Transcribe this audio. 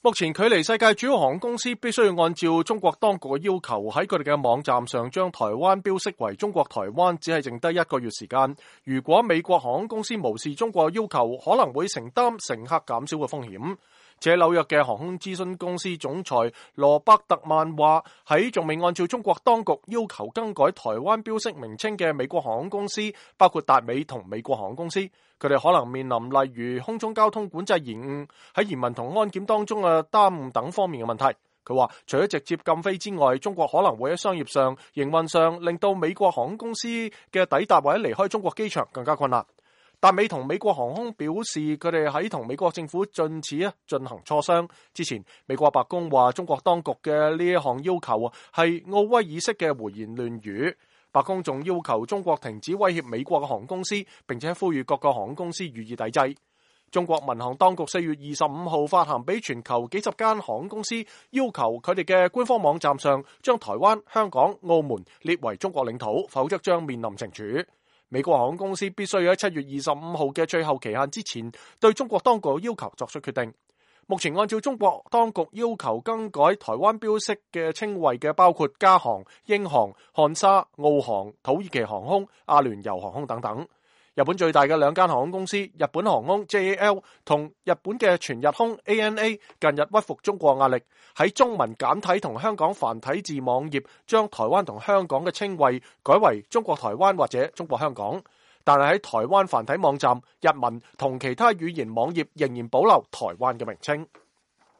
目前距離世界主要航空公司必須要按照中國當局嘅要求喺佢哋嘅網站上將台灣標識為中國台灣，只係剩低1個月時間。如果美國航空公司無視中國要求，可能會承擔乘客減少嘅風險。且紐約嘅航空諮詢公司總裁羅伯特曼話，喺仲未按照中國當局要求更改台灣標識名稱嘅美國航空公司，包括達美同美國航空公司，佢哋可能面臨例如空中交通管制延誤、喺移民同安檢當中嘅耽誤等方面嘅問題。佢話，除咗直接禁飛之外，中國可能會喺商業上、營運上令到美國航空公司嘅抵達或者離開中國機場更加困難。達美同美國航空表示，佢哋喺同美國政府進行磋商。之前，美國白宮話中國當局嘅呢一項要求係奧威爾式嘅胡言亂語。白宮仲要求中國停止威脅美國嘅航空公司，並且呼籲各個航空公司予以抵制。中國民航當局4月25號發函俾全球幾十間航空公司，要求佢哋嘅官方網站上將台灣、香港、澳門列為中國領土，否則將面臨懲處。美國航空公司必須喺7月25號嘅最後期限之前，對中國當局要求作出決定。目前按照中國當局要求更改台灣標識嘅稱謂嘅包括加航、英航、漢莎、澳航、土耳其航空、阿聯酋航空等等。日本最大嘅2間航空公司日本航空 JAL 同日本嘅全日空 ANA 近日屈服中國壓力，喺中文簡體同香港繁體字網頁將台灣同香港嘅稱謂改為中國台灣或者中國香港，但係喺台灣繁體網站、日文同其他語言網頁仍然保留台灣嘅名稱。